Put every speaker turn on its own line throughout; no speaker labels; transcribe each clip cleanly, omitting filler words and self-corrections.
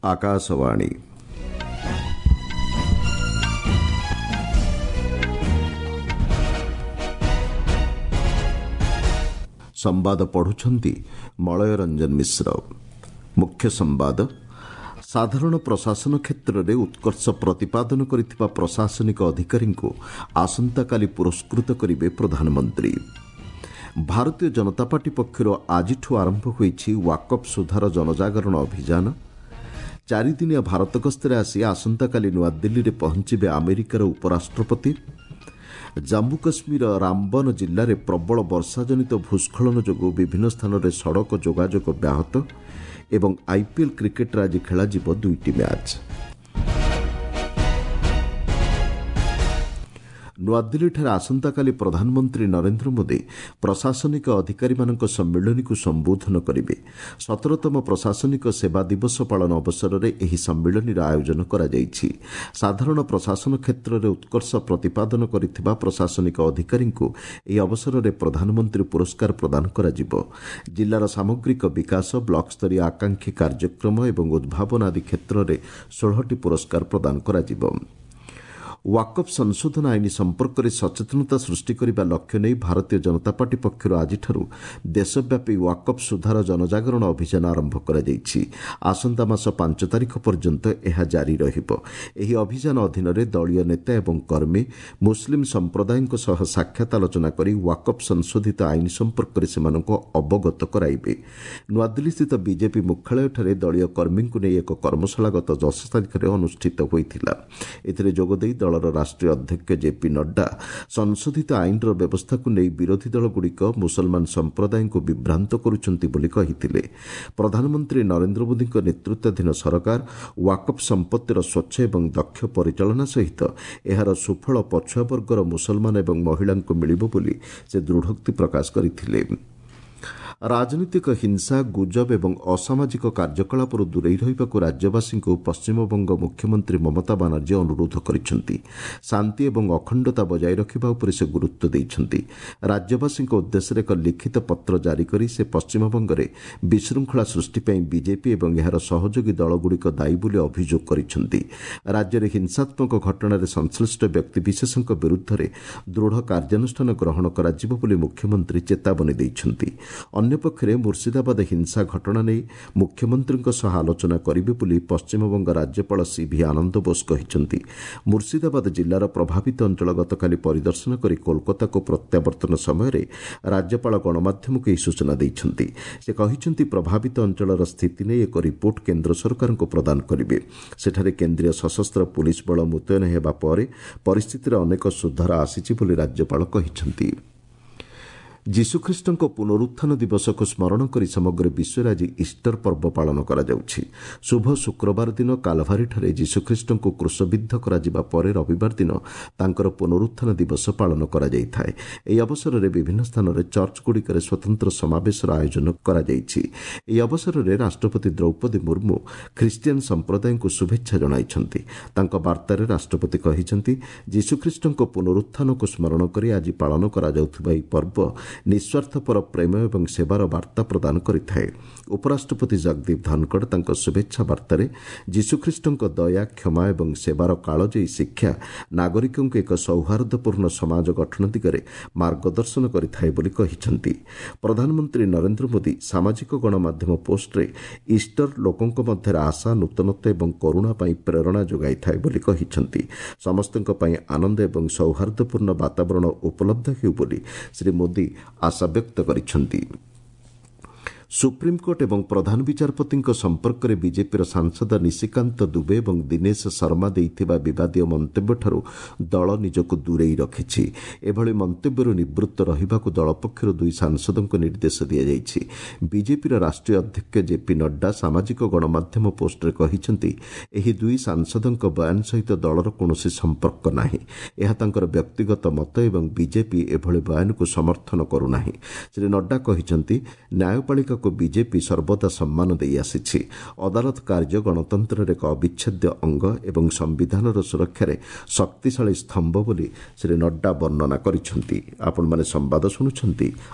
ଆକାଶବାଣୀ। ସମ୍ବାଦ ପଢୁଛନ୍ତି ମଳୟ ରଞ୍ଜନ ମିଶ୍ର। ମୁଖ୍ୟ ସମ୍ବାଦ। ସାଧାରଣ ପ୍ରଶାସନ କ୍ଷେତ୍ରରେ ଉତ୍କର୍ଷ ପ୍ରତିପାଦନ କରିଥିବା ପ୍ରଶାସନିକ ଅଧିକାରୀଙ୍କୁ ଆସନ୍ତାକାଲି ପୁରସ୍କୃତ କରିବେ ପ୍ରଧାନମନ୍ତ୍ରୀ। ଭାରତୀୟ ଜନତା ପାର୍ଟି ପକ୍ଷରୁ ଆଜିଠୁ ଆରମ୍ଭ ହୋଇଛି ୱାକଫ୍ ସୁଧାର ଜନଜାଗରଣ ଅଭିଯାନ। ଚାରିଦିନିଆ ଭାରତ ଗସ୍ତରେ ଆସି ଆସନ୍ତାକାଲି ନୂଆଦିଲ୍ଲୀରେ ପହଞ୍ଚିବେ ଆମେରିକାର ଉପରାଷ୍ଟ୍ରପତି। ଜାମ୍ମୁ କାଶ୍ମୀର ରାମବନ ଜିଲ୍ଲାରେ ପ୍ରବଳ ବର୍ଷାଜନିତ ଭୂସ୍ଖଳନ ଯୋଗୁଁ ବିଭିନ୍ନ ସ୍ଥାନରେ ସଡ଼କ ଯୋଗାଯୋଗ ବ୍ୟାହତ। ଏବଂ ଆଇପିଏଲ୍ କ୍ରିକେଟ୍ରେ ଆଜି ଖେଳାଯିବ ଦୁଇଟି ମ୍ୟାଚ୍। ନୂଆଦିଲ୍ଲୀଠାରେ ଆସନ୍ତାକାଲି ପ୍ରଧାନମନ୍ତ୍ରୀ ନରେନ୍ଦ୍ର ମୋଦି ପ୍ରଶାସନିକ ଅଧିକାରୀମାନଙ୍କ ସମ୍ମିଳନୀକୁ ସମ୍ବୋଧନ କରିବେ। 17ତମ ପ୍ରଶାସନିକ ସେବା ଦିବସ ପାଳନ ଅବସରରେ ଏହି ସମ୍ମିଳନୀର ଆୟୋଜନ କରାଯାଇଛି। ସାଧାରଣ ପ୍ରଶାସନ କ୍ଷେତ୍ରରେ ଉତ୍କର୍ଷ ପ୍ରତିପାଦନ କରିଥିବା ପ୍ରଶାସନିକ ଅଧିକାରୀଙ୍କୁ ଏହି ଅବସରରେ ପ୍ରଧାନମନ୍ତ୍ରୀ ପୁରସ୍କାର ପ୍ରଦାନ କରାଯିବ। ଜିଲ୍ଲାର ସାମଗ୍ରିକ ବିକାଶ, ବ୍ଲକସ୍ତରୀୟ ଆକାଂକ୍ଷୀ କାର୍ଯ୍ୟକ୍ରମ ଏବଂ ଉଦ୍ଭାବନ ଆଦି କ୍ଷେତ୍ରରେ 16ଟି ପୁରସ୍କାର ପ୍ରଦାନ କରାଯିବ। ୱାକଫ୍ ସଂଶୋଧନ ଆଇନ ସମ୍ପର୍କରେ ସଚେତନତା ସୃଷ୍ଟି କରିବା ଲକ୍ଷ୍ୟ ନେଇ ଭାରତୀୟ ଜନତା ପାର୍ଟି ପକ୍ଷରୁ ଆଜିଠାରୁ ଦେଶବ୍ୟାପୀ ୱାକଫ୍ ସୁଧାର ଜନଜାଗରଣ ଅଭିଯାନ ଆରମ୍ଭ କରାଯାଇଛି। ଆସନ୍ତା ମାସ 5 ତାରିଖ ପର୍ଯ୍ୟନ୍ତ ଏହା ଜାରି ରହିବ। ଏହି ଅଭିଯାନ ଅଧୀନରେ ଦଳୀୟ ନେତା ଏବଂ କର୍ମୀ ମୁସଲିମ୍ ସମ୍ପ୍ରଦାୟଙ୍କ ସହ ସାକ୍ଷାତ ଆଲୋଚନା କରି ୱାକଫ୍ ସଂଶୋଧିତ ଆଇନ ସମ୍ପର୍କରେ ସେମାନଙ୍କୁ ଅବଗତ କରାଇବେ। ନୂଆଦିଲ୍ଲୀସ୍ଥିତ ବିଜେପି ମୁଖ୍ୟାଳୟଠାରେ ଦଳୀୟ କର୍ମୀଙ୍କୁ ନେଇ ଏକ କର୍ମଶାଳା ଗତ 10 ତାରିଖରେ ଅନୁଷ୍ଠିତ ହୋଇଥିଲା। ଏଥିରେ ଯୋଗଦେଇ ଦଳର ରାଷ୍ଟ୍ରୀୟ ଅଧ୍ୟକ୍ଷ ଜେପି ନଡ୍ଡା ସଂଶୋଧିତ ଆଇନର ବ୍ୟବସ୍ଥାକୁ ନେଇ ବିରୋଧୀ ଦଳଗୁଡ଼ିକ ମୁସଲମାନ ସମ୍ପ୍ରଦାୟଙ୍କୁ ବିଭ୍ରାନ୍ତ କରୁଛନ୍ତି ବୋଲି କହିଥିଲେ। ପ୍ରଧାନମନ୍ତ୍ରୀ ନରେନ୍ଦ୍ର ମୋଦିଙ୍କ ନେତୃତ୍ୱାଧୀନ ସରକାର ୱାକଫ୍ ସମ୍ପତ୍ତିର ସ୍ୱଚ୍ଛ ଏବଂ ଦକ୍ଷ ପରିଚାଳନା ସହିତ ଏହାର ସୁଫଳ ପଛୁଆ ବର୍ଗର ମୁସଲମାନ ଏବଂ ମହିଳାଙ୍କୁ ମିଳିବ ବୋଲି ସେ ଦୃଢ଼ୋକ୍ତି ପ୍ରକାଶ କରିଥିଲେ। ରାଜନୈତିକ ହିଂସା, ଗୁଜବ ଏବଂ ଅସାମାଜିକ କାର୍ଯ୍ୟକଳାପରୁ ଦୂରେଇ ରହିବାକୁ ରାଜ୍ୟବାସୀଙ୍କୁ ପଶ୍ଚିମବଙ୍ଗ ମୁଖ୍ୟମନ୍ତ୍ରୀ ମମତା ବାନାର୍ଜୀ ଅନୁରୋଧ କରିଛନ୍ତି। ଶାନ୍ତି ଏବଂ ଅଖଣ୍ଡତା ବଜାୟ ରଖିବା ଉପରେ ସେ ଗୁରୁତ୍ୱ ଦେଇଛନ୍ତି। ରାଜ୍ୟବାସୀଙ୍କ ଉଦ୍ଦେଶ୍ୟରେ ଏକ ଲିଖିତ ପତ୍ର ଜାରି କରି ସେ ପଶ୍ଚିମବଙ୍ଗରେ ବିଶୃଙ୍ଖଳା ସୃଷ୍ଟି ପାଇଁ ବିଜେପି ଏବଂ ଏହାର ସହଯୋଗୀ ଦଳଗୁଡ଼ିକ ଦାୟୀ ବୋଲି ଅଭିଯୋଗ କରିଛନ୍ତି। ରାଜ୍ୟରେ ହିଂସାତ୍ମକ ଘଟଣାରେ ସଂଶ୍ଳିଷ୍ଟ ବ୍ୟକ୍ତିବିଶେଷଙ୍କ ବିରୁଦ୍ଧରେ ଦୃଢ଼ କାର୍ଯ୍ୟାନୁଷ୍ଠାନ ଗ୍ରହଣ କରାଯିବ ବୋଲି ମୁଖ୍ୟମନ୍ତ୍ରୀ ଚେତାବନୀ ଦେଇଛନ୍ତି। ଅନ୍ୟପକ୍ଷରେ ମୁର୍ଶିଦାବାଦ ହିଂସା ଘଟଣା ନେଇ ମୁଖ୍ୟମନ୍ତ୍ରୀଙ୍କ ସହ ଆଲୋଚନା କରିବେ ବୋଲି ପଶ୍ଚିମବଙ୍ଗ ରାଜ୍ୟପାଳ ସିଭି ଆନନ୍ଦ ବୋଷ କହିଛନ୍ତି। ମୁର୍ଶିଦାବାଦ ଜିଲ୍ଲାର ପ୍ରଭାବିତ ଅଞ୍ଚଳ ଗତକାଲି ପରିଦର୍ଶନ କରି କୋଲକାତାକୁ ପ୍ରତ୍ୟାବର୍ତ୍ତନ ସମୟରେ ରାଜ୍ୟପାଳ ଗଣମାଧ୍ୟମକୁ ଏହି ସୂଚନା ଦେଇଛନ୍ତି। ସେ କହିଛନ୍ତି, ପ୍ରଭାବିତ ଅଞ୍ଚଳର ସ୍ଥିତି ନେଇ ଏକ ରିପୋର୍ଟ କେନ୍ଦ୍ର ସରକାରଙ୍କୁ ପ୍ରଦାନ କରିବେ। ସେଠାରେ କେନ୍ଦ୍ରୀୟ ସଶସ୍ତ୍ର ପୁଲିସ୍ ବଳ ମୁତୟନ ହେବା ପରେ ପରିସ୍ଥିତିରେ ଅନେକ ସୁଧାର ଆସିଛି ବୋଲି ରାଜ୍ୟପାଳ କହିଛନ୍ତି। ଯୀଶୁଖ୍ରୀଷ୍ଟଙ୍କ ପୁନରୁତ୍ଥାନ ଦିବସକୁ ସ୍ମରଣ କରି ସମଗ୍ର ବିଶ୍ୱରେ ଆଜି ଇଷ୍ଟର ପର୍ବ ପାଳନ କରାଯାଉଛି। ଶୁଭ ଶୁକ୍ରବାର ଦିନ କାଲଭାରୀଠାରେ ଯୀଶୁଖ୍ରୀଷ୍ଟଙ୍କୁ କ୍ରୁଶବିଦ୍ଧ କରାଯିବା ପରେ ରବିବାର ଦିନ ତାଙ୍କର ପୁନରୁତ୍ଥାନ ଦିବସ ପାଳନ କରାଯାଇଥାଏ। ଏହି ଅବସରରେ ବିଭିନ୍ନ ସ୍ଥାନରେ ଚର୍ଚ୍ଚଗୁଡ଼ିକରେ ସ୍ୱତନ୍ତ୍ର ସମାବେଶର ଆୟୋଜନ କରାଯାଇଛି। ଏହି ଅବସରରେ ରାଷ୍ଟ୍ରପତି ଦ୍ରୌପଦୀ ମୁର୍ମୁ ଖ୍ରୀଷ୍ଟିଆନ ସମ୍ପ୍ରଦାୟଙ୍କୁ ଶୁଭେଚ୍ଛା ଜଣାଇଛନ୍ତି। ତାଙ୍କ ବାର୍ତ୍ତାରେ ରାଷ୍ଟ୍ରପତି କହିଛନ୍ତି, ଯୀଶୁଖ୍ରୀଷ୍ଟଙ୍କ ପୁନରୁତ୍ଥାନକୁ ସ୍ମରଣ କରି ଆଜି ପାଳନ କରାଯାଉଥିବା ଏହି ପର୍ବ ନିଃସ୍ୱାର୍ଥପର ପ୍ରେମ ଏବଂ ସେବାର ବାର୍ତ୍ତା ପ୍ରଦାନ କରିଥାଏ। ଉପରାଷ୍ଟ୍ରପତି ଜଗଦୀପ ଧନଖଡ଼ ତାଙ୍କ ଶୁଭେଚ୍ଛା ବାର୍ତ୍ତାରେ ଯୀଶୁଖ୍ରୀଷ୍ଟଙ୍କ ଦୟା, କ୍ଷମା ଏବଂ ସେବାର କାଳଜୟୀ ଶିକ୍ଷା ନାଗରିକଙ୍କୁ ଏକ ସୌହାର୍ଦ୍ଦ୍ୟପୂର୍ଣ୍ଣ ସମାଜ ଗଠନ ଦିଗରେ ମାର୍ଗଦର୍ଶନ କରିଥାଏ ବୋଲି କହିଛନ୍ତି। ପ୍ରଧାନମନ୍ତ୍ରୀ ନରେନ୍ଦ୍ର ମୋଦି ସାମାଜିକ ଗଣମାଧ୍ୟମ ପୋଷ୍ଟରେ ଇଷ୍ଟର ଲୋକଙ୍କ ମଧ୍ୟରେ ଆଶା, ନୂତନତ୍ୱ ଏବଂ କରୁଣା ପାଇଁ ପ୍ରେରଣା ଯୋଗାଇଥାଏ ବୋଲି କହିଛନ୍ତି। ସମସ୍ତଙ୍କ ପାଇଁ ଆନନ୍ଦ ଏବଂ ସୌହାର୍ଦ୍ଦ୍ୟପୂର୍ଣ୍ଣ ବାତାବରଣ ଉପଲବ୍ଧ ହେଉ ବୋଲି ଶ୍ରୀ ମୋଦି ଆଶା ବ୍ୟକ୍ତ କରିଛନ୍ତି। ସୁପ୍ରିମକୋର୍ଟ ଏବଂ ପ୍ରଧାନ ବିଚାରପତିଙ୍କ ସମ୍ପର୍କରେ ବିଜେପିର ସାଂସଦ ନିଶିକାନ୍ତ ଦୁବେ ଏବଂ ଦିନେଶ ଶର୍ମା ଦେଇଥିବା ବିବାଦୀୟ ମନ୍ତବ୍ୟଠାରୁ ଦଳ ନିଜକୁ ଦୂରେଇ ରଖିଛି। ଏଭଳି ମନ୍ତବ୍ୟରୁ ନିବୃତ୍ତ ରହିବାକୁ ଦଳ ପକ୍ଷରୁ ଦୁଇ ସାଂସଦଙ୍କୁ ନିର୍ଦ୍ଦେଶ ଦିଆଯାଇଛି। ବିଜେପିର ରାଷ୍ଟ୍ରୀୟ ଅଧ୍ୟକ୍ଷ ଜେପି ନଡ୍ଡା ସାମାଜିକ ଗଣମାଧ୍ୟମ ପୋଷ୍ଟରେ କହିଛନ୍ତି, ଏହି ଦୁଇ ସାଂସଦଙ୍କ ବୟାନ ସହିତ ଦଳର କୌଣସି ସମ୍ପର୍କ ନାହିଁ। ଏହା ତାଙ୍କର ବ୍ୟକ୍ତିଗତ ମତ ଏବଂ ବିଜେପି ଏଭଳି ବୟାନକୁ ସମର୍ଥନ କରୁନାହିଁ। ଶ୍ରୀ ନଡ୍ଡା କହିଛନ୍ତି, ନ୍ୟାୟପାଳିକାକୁ ବିଜେପି ସର୍ବଦା ସମ୍ମାନ ଦେଇ ଆସିଛି। ଅଦାଲତ କାର୍ଯ୍ୟ ଗଣତନ୍ତ୍ରର ଏକ ଅବିଚ୍ଛେଦ୍ୟ ଅଙ୍ଗ ଏବଂ ସମ୍ବିଧାନର ସୁରକ୍ଷାରେ ଶକ୍ତିଶାଳୀ ସ୍ତମ୍ଭ ବୋଲି ଶ୍ରୀ ନଡ୍ଡା ବର୍ଣ୍ଣନା କରିଛନ୍ତି। ଆପଣମାନେ ସମ୍ବାଦ ଶୁଣୁଛନ୍ତି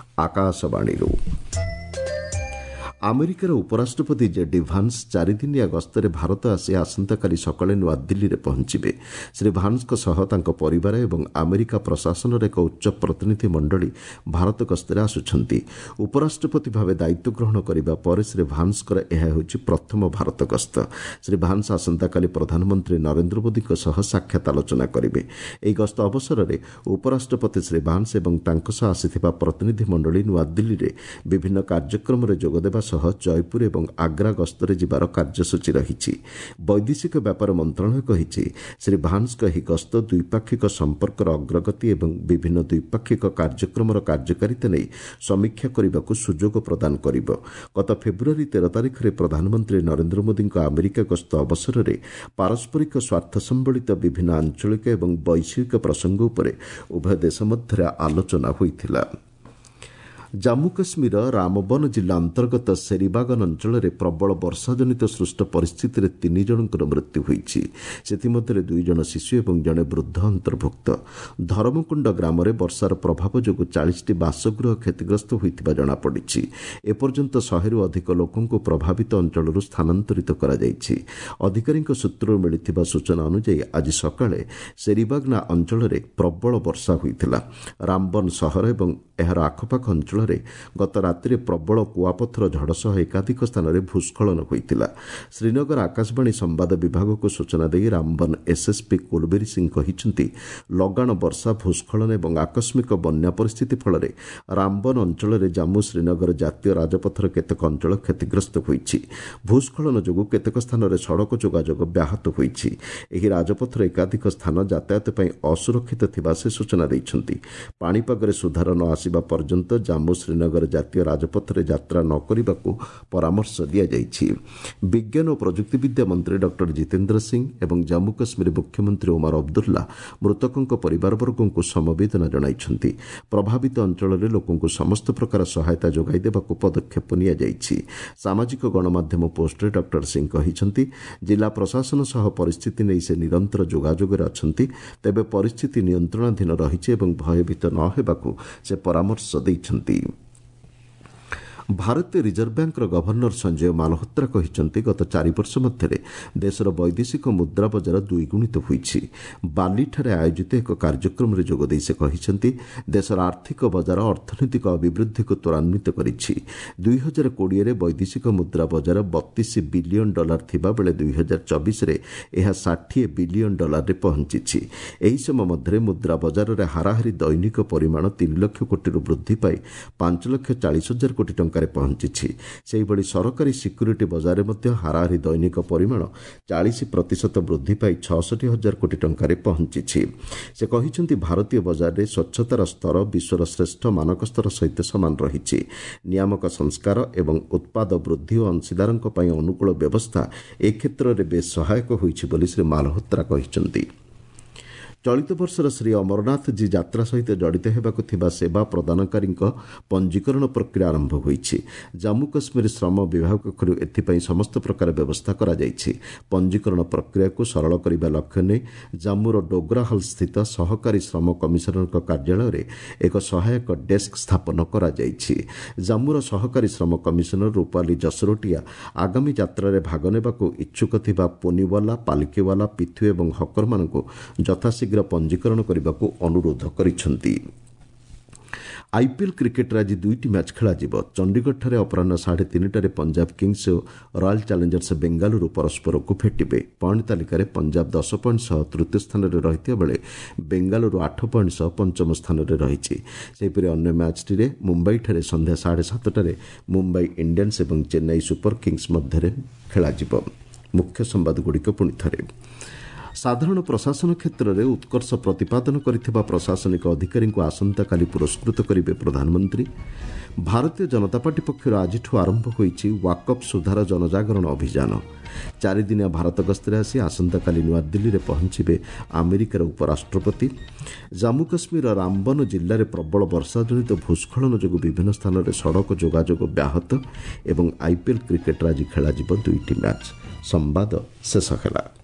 ଆକାଶବାଣୀରୁ। ଆମେରିକାର ଉପରାଷ୍ଟ୍ରପତି ଜେ.ଡି. ଭାନ୍ସ 4 ଦିନିଆ ଗସ୍ତରେ ଭାରତ ଆସି ଆସନ୍ତାକାଲି ସକାଳେ ନୂଆଦିଲ୍ଲୀରେ ପହଞ୍ଚିବେ। ଶ୍ରୀ ଭାନ୍ସଙ୍କ ସହ ତାଙ୍କ ପରିବାର ଏବଂ ଆମେରିକା ପ୍ରଶାସନର ଏକ ଉଚ୍ଚ ପ୍ରତିନିଧି ମଣ୍ଡଳୀ ଭାରତ ଗସ୍ତରେ ଆସୁଛନ୍ତି। ଉପରାଷ୍ଟ୍ରପତି ଭାବେ ଦାୟିତ୍ୱ ଗ୍ରହଣ କରିବା ପରେ ଶ୍ରୀ ଭାନ୍ସଙ୍କର ଏହା ହେଉଛି ପ୍ରଥମ ଭାରତ ଗସ୍ତ। ଶ୍ରୀ ଭାନ୍ସ ଆସନ୍ତାକାଲି ପ୍ରଧାନମନ୍ତ୍ରୀ ନରେନ୍ଦ୍ର ମୋଦିଙ୍କ ସହ ସାକ୍ଷାତ ଆଲୋଚନା କରିବେ। ଏହି ଗସ୍ତ ଅବସରରେ ଉପରାଷ୍ଟ୍ରପତି ଶ୍ରୀ ଭାନ୍ସ ଏବଂ ତାଙ୍କ ସହ ଆସିଥିବା ପ୍ରତିନିଧି ମଣ୍ଡଳୀ ନୂଆଦିଲ୍ଲୀରେ ବିଭିନ୍ନ କାର୍ଯ୍ୟକ୍ରମରେ ଯୋଗଦେବା ସହ ଜୟପୁର ଏବଂ ଆଗ୍ରା ଗସ୍ତରେ ଯିବାର କାର୍ଯ୍ୟସୂଚୀ ରହିଛି। ବୈଦେଶିକ ବ୍ୟାପାର ମନ୍ତ୍ରଣାଳୟ କହିଛି, ଶ୍ରୀ ଭାନ୍ସଙ୍କ ଏହି ଗସ୍ତ ଦ୍ୱିପାକ୍ଷିକ ସମ୍ପର୍କର ଅଗ୍ରଗତି ଏବଂ ବିଭିନ୍ନ ଦ୍ୱିପାକ୍ଷିକ କାର୍ଯ୍ୟକ୍ରମର କାର୍ଯ୍ୟକାରିତା ନେଇ ସମୀକ୍ଷା କରିବାକୁ ସୁଯୋଗ ପ୍ରଦାନ କରିବ। ଗତ ଫେବୃଆରୀ 13 ତାରିଖରେ ପ୍ରଧାନମନ୍ତ୍ରୀ ନରେନ୍ଦ୍ର ମୋଦିଙ୍କ ଆମେରିକା ଗସ୍ତ ଅବସରରେ ପାରସ୍ପରିକ ସ୍ୱାର୍ଥ ସମ୍ବଳିତ ବିଭିନ୍ନ ଆଞ୍ଚଳିକ ଏବଂ ବୈଶ୍ୱିକ ପ୍ରସଙ୍ଗ ଉପରେ ଉଭୟ ଦେଶ ମଧ୍ୟରେ ଆଲୋଚନା ହୋଇଥିଲା। ଜାମ୍ମୁ କାଶ୍ମୀରର ରାମବନ ଜିଲ୍ଲା ଅନ୍ତର୍ଗତ ସେରିବାଗନ ଅଞ୍ଚଳରେ ପ୍ରବଳ ବର୍ଷାଜନିତ ସୃଷ୍ଟ ପରିସ୍ଥିତିରେ ତିନି ଜଣଙ୍କର ମୃତ୍ୟୁ ହୋଇଛି। ସେଥିମଧ୍ୟରେ ଦୁଇ ଜଣ ଶିଶୁ ଏବଂ ଜଣେ ବୃଦ୍ଧ ଅନ୍ତର୍ଭୁକ୍ତ। ଧରମକୁଣ୍ଡ ଗ୍ରାମରେ ବର୍ଷାର ପ୍ରଭାବ ଯୋଗୁଁ 40ଟି ବାସଗୃହ କ୍ଷତିଗ୍ରସ୍ତ ହୋଇଥିବା ଜଣାପଡ଼ିଛି। ଏପର୍ଯ୍ୟନ୍ତ 100ରୁ ଅଧିକ ଲୋକଙ୍କୁ ପ୍ରଭାବିତ ଅଞ୍ଚଳରୁ ସ୍ଥାନାନ୍ତରିତ କରାଯାଇଛି। ଅଧିକାରୀଙ୍କ ସୂତ୍ରରୁ ମିଳିଥିବା ସୂଚନା ଅନୁଯାୟୀ, ଆଜି ସକାଳେ ସେରିବାଗ୍ନା ଅଞ୍ଚଳରେ ପ୍ରବଳ ବର୍ଷା ହୋଇଥିଲା। ରାମବନ ସହର ଏବଂ ଏହାର ଆଖପାଖ ଅଞ୍ଚଳରେ ଗତ ରାତିରେ ପ୍ରବଳ କୁଆପଥର ଝଡ଼ ସହ ଏକାଧିକ ସ୍ଥାନରେ ଭୂସ୍ଖଳନ ହୋଇଥିଲା। ଶ୍ରୀନଗର ଆକାଶବାଣୀ ସମ୍ବାଦ ବିଭାଗକୁ ସୂଚନା ଦେଇ ରାମବନ ଏସ୍ଏସ୍ପି କୁଲବୀର ସିଂ କହିଛନ୍ତି, ଲଗାଣ ବର୍ଷା, ଭୂସ୍ଖଳନ ଏବଂ ଆକସ୍ମିକ ବନ୍ୟା ପରିସ୍ଥିତି ଫଳରେ ରାମବନ ଅଞ୍ଚଳରେ ଜାମ୍ମୁ ଶ୍ରୀନଗର ଜାତୀୟ ରାଜପଥର କେତେକ ଅଞ୍ଚଳ କ୍ଷତିଗ୍ରସ୍ତ ହୋଇଛି। ଭୂସ୍ଖଳନ ଯୋଗୁଁ କେତେକ ସ୍ଥାନରେ ସଡ଼କ ଯୋଗାଯୋଗ ବ୍ୟାହତ ହୋଇଛି। ଏହି ରାଜପଥର ଏକାଧିକ ସ୍ଥାନ ଯାତାୟାତ ପାଇଁ ଅସୁରକ୍ଷିତ ଥିବା ସେ ସୂଚନା ଦେଇଛନ୍ତି। ପାଣିପାଗରେ ସୁଧାର ନ ଆସିବା ପର୍ଯ୍ୟନ୍ତ ଜାମ୍ମୁ ଶ୍ରୀନଗର ଜାତୀୟ ରାଜପଥରେ ଯାତ୍ରା ନ କରିବାକୁ ପରାମର୍ଶ ଦିଆଯାଇଛି। ବିଜ୍ଞାନ ଓ ପ୍ରଯୁକ୍ତିବିଦ୍ୟା ମନ୍ତ୍ରୀ ଡକ୍ଟର ଜିତେନ୍ଦ୍ର ସିଂ ଏବଂ ଜାମ୍ମୁ କାଶ୍ମୀର ମୁଖ୍ୟମନ୍ତ୍ରୀ ଓମାର ଅବଦୁଲ୍ଲା ମୃତକଙ୍କ ପରିବାରବର୍ଗଙ୍କୁ ସମବେଦନା ଜଣାଇଛନ୍ତି। ପ୍ରଭାବିତ ଅଞ୍ଚଳରେ ଲୋକଙ୍କୁ ସମସ୍ତ ପ୍ରକାର ସହାୟତା ଯୋଗାଇ ଦେବାକୁ ପଦକ୍ଷେପ ନିଆଯାଇଛି। ସାମାଜିକ ଗଣମାଧ୍ୟମ ପୋଷ୍ଟରେ ଡକ୍ଟର ସିଂ କହିଛନ୍ତି, ଜିଲ୍ଲା ପ୍ରଶାସନ ସହ ପରିସ୍ଥିତି ନେଇ ସେ ନିରନ୍ତର ଯୋଗାଯୋଗରେ ଅଛନ୍ତି। ତେବେ ପରିସ୍ଥିତି ନିୟନ୍ତ୍ରଣାଧୀନ ରହିଛି ଏବଂ ଭୟଭୀତ ନ ହେବାକୁ ସେ ପରାମର୍ଶ ଦେଇଛନ୍ତି। ଭାରତୀୟ ରିଜର୍ଭ ବ୍ୟାଙ୍କର ଗଭର୍ଣ୍ଣର ସଞ୍ଜୟ ମାଲହୋତ୍ରା କହିଛନ୍ତି, ଗତ 4 ବର୍ଷ ମଧ୍ୟରେ ଦେଶର ବୈଦେଶିକ ମୁଦ୍ରା ବଜାର ଦ୍ୱିଗୁଣିତ ହୋଇଛି। ବାଲିଠାରେ ଆୟୋଜିତ ଏକ କାର୍ଯ୍ୟକ୍ରମରେ ଯୋଗଦେଇ ସେ କହିଛନ୍ତି, ଦେଶର ଆର୍ଥିକ ବଜାର ଅର୍ଥନୈତିକ ଅଭିବୃଦ୍ଧିକୁ ତ୍ୱରାନ୍ୱିତ କରିଛି। 2020ରେ ବୈଦେଶିକ ମୁଦ୍ରା ବଜାର 32 ବିଲିୟନ ଡଲାର ଥିବାବେଳେ 2024ରେ ଏହା 60 ବିଲିୟନ ଡଲାରରେ ପହଞ୍ଚିଛି। ଏହି ସମୟ ମଧ୍ୟରେ ମୁଦ୍ରା ବଜାରରେ ହାରାହାରି ଦୈନିକ ପରିମାଣ 3 ଲକ୍ଷ କୋଟିରୁ ବୃଦ୍ଧି ପାଇ 5 ଲକ୍ଷ 40 ହଜାର କୋଟି ଟଙ୍କାରେ ପହଞ୍ଚିଛି। ସେହିଭଳି ସରକାରୀ ସିକ୍ୟୁରିଟି ବଜାରରେ ମଧ୍ୟ ହାରାହାରି ଦୈନିକ ପରିମାଣ 40% ବୃଦ୍ଧି ପାଇ 66 ହଜାର କୋଟି ଟଙ୍କାରେ ପହଞ୍ଚିଛି। ସେ କହିଛନ୍ତି, ଭାରତୀୟ ବଜାରରେ ସ୍ୱଚ୍ଛତାର ସ୍ତର ବିଶ୍ୱର ଶ୍ରେଷ୍ଠ ମାନକ ସ୍ତର ସହିତ ସମାନ ରହିଛି। ନିୟାମକ ସଂସ୍କାର ଏବଂ ଉତ୍ପାଦ ବୃଦ୍ଧି ଓ ଅଂଶୀଦାରଙ୍କ ପାଇଁ ଅନୁକୂଳ ବ୍ୟବସ୍ଥା ଏ କ୍ଷେତ୍ରରେ ବେଶ୍ ସହାୟକ ହୋଇଛି ବୋଲି ଶ୍ରୀ ମାଲହୋତ୍ରା କହିଛନ୍ତି। ଚଳିତ ବର୍ଷର ଶ୍ରୀ ଅମରନାଥଜୀ ଯାତ୍ରା ସହିତ ଜଡ଼ିତ ହେବାକୁ ଥିବା ସେବା ପ୍ରଦାନକାରୀଙ୍କ ପଞ୍ଜୀକରଣ ପ୍ରକ୍ରିୟା ଆରମ୍ଭ ହୋଇଛି। ଜାମ୍ମୁ କାଶ୍ମୀର ଶ୍ରମ ବିଭାଗ ପକ୍ଷରୁ ଏଥିପାଇଁ ସମସ୍ତ ପ୍ରକାର ବ୍ୟବସ୍ଥା କରାଯାଇଛି। ପଞ୍ଜୀକରଣ ପ୍ରକ୍ରିୟାକୁ ସରଳ କରିବା ଲକ୍ଷ୍ୟ ନେଇ ଜାମ୍ମୁର ଡୋଗ୍ରା ହଲ୍ ସ୍ଥିତ ସହକାରୀ ଶ୍ରମ କମିଶନରଙ୍କ କାର୍ଯ୍ୟାଳୟରେ ଏକ ସହାୟକ ଡେସ୍କ ସ୍ଥାପନ କରାଯାଇଛି। ଜାମ୍ମୁର ସହକାରୀ ଶ୍ରମ କମିଶନର ରୂପାଲି ଜସରୋଟିଆ ଆଗାମୀ ଯାତ୍ରାରେ ଭାଗ ନେବାକୁ ଇଚ୍ଛୁକ ଥିବା ପୋନିୱାଲା, ପାଲକିୱାଲା, ପିଥୁ ଏବଂ ହକରମାନଙ୍କୁ ଯଥାଶୀଘ୍ର ପଞ୍ଜୀକରଣ କରିବାକୁ ଅନୁରୋଧ କରିଛନ୍ତି। ଆଇପିଏଲ୍ କ୍ରିକେଟ୍ରେ ଆଜି ଦୁଇଟି ମ୍ୟାଚ୍ ଖେଳାଯିବ। ଚଣ୍ଡିଗଡ଼ଠାରେ ଅପରାହ୍ନ 3:30ରେ ପଞ୍ଜାବ କିଙ୍ଗସ୍ ଓ ରୟାଲ୍ ଚ୍ୟାଲେଞ୍ଜର୍ସ ବେଙ୍ଗାଲୁରୁ ପରସ୍ପରକୁ ଭେଟିବେ। ପଏଣ୍ଟ ତାଲିକାରେ ପଞ୍ଜାବ 10 ପଏଣ୍ଟ ସହ ତୃତୀୟ ସ୍ଥାନରେ ରହିଥିବା ବେଳେ ବେଙ୍ଗାଲୁରୁ 8 ପଏଣ୍ଟ ସହ ପଞ୍ଚମ ସ୍ଥାନରେ ରହିଛି। ସେହିପରି ଅନ୍ୟ ମ୍ୟାଚ୍ଟିରେ ମୁମ୍ବାଇଠାରେ ସନ୍ଧ୍ୟା 7:30ରେ ମୁମ୍ବାଇ ଇଣ୍ଡିଆନ୍ସ ଏବଂ ଚେନ୍ନାଇ ସୁପର କିଙ୍ଗସ୍ ମଧ୍ୟରେ ଖେଳାଯିବ। ମୁଖ୍ୟ ସମ୍ବାଦଗୁଡ଼ିକ ପୁଣି ଥରେ। ସାଧାରଣ ପ୍ରଶାସନ କ୍ଷେତ୍ରରେ ଉତ୍କର୍ଷ ପ୍ରତିପାଦନ କରିଥିବା ପ୍ରଶାସନିକ ଅଧିକାରୀଙ୍କୁ ଆସନ୍ତାକାଲି ପୁରସ୍କୃତ କରିବେ ପ୍ରଧାନମନ୍ତ୍ରୀ। ଭାରତୀୟ ଜନତା ପାର୍ଟି ପକ୍ଷରୁ ଆଜିଠୁ ଆରମ୍ଭ ହୋଇଛି ୱାକଫ୍ ସୁଧାର ଜନଜାଗରଣ ଅଭିଯାନ। 4 ଦିନିଆ ଭାରତ ଗସ୍ତରେ ଆସି ଆସନ୍ତାକାଲି ନୂଆଦିଲ୍ଲୀରେ ପହଞ୍ଚିବେ ଆମେରିକାର ଉପରାଷ୍ଟ୍ରପତି। ଜାମ୍ମୁ କାଶ୍ମୀରର ରାମବନ ଜିଲ୍ଲାରେ ପ୍ରବଳ ବର୍ଷାଜନିତ ଭୂସ୍ଖଳନ ଯୋଗୁଁ ବିଭିନ୍ନ ସ୍ଥାନରେ ସଡ଼କ ଯୋଗାଯୋଗ ବ୍ୟାହତ ଏବଂ ଆଇପିଏଲ୍ କ୍ରିକେଟ୍ରେ ଆଜି ଖେଳାଯିବ ଦୁଇଟି ମ୍ୟାଚ୍। ସମ୍ବାଦ ଶେଷ ହେଲା।